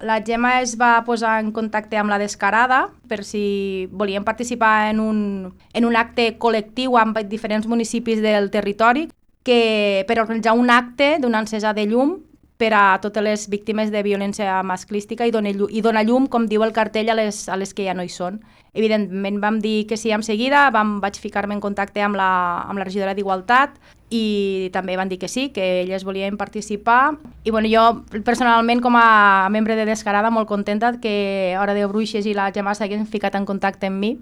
La Gemma es va posar en contacte amb la Descarada per si volien participar en un acte col·lectiu amb diferents municipis del territori per organitzar un acte d'una encesa de llum per a totes les víctimes de violència masclística i donar llum, com diu el cartell, a les que ja no hi són. Evidentment vam dir que sí en seguida, vaig ficar-me en contacte amb la regidora d'Igualtat i també van dir que sí, que elles volien participar. I jo personalment, com a membre de Descarada, molt contenta que Hora de Bruixes i la Gemma s'hagin ficat en contacte amb mi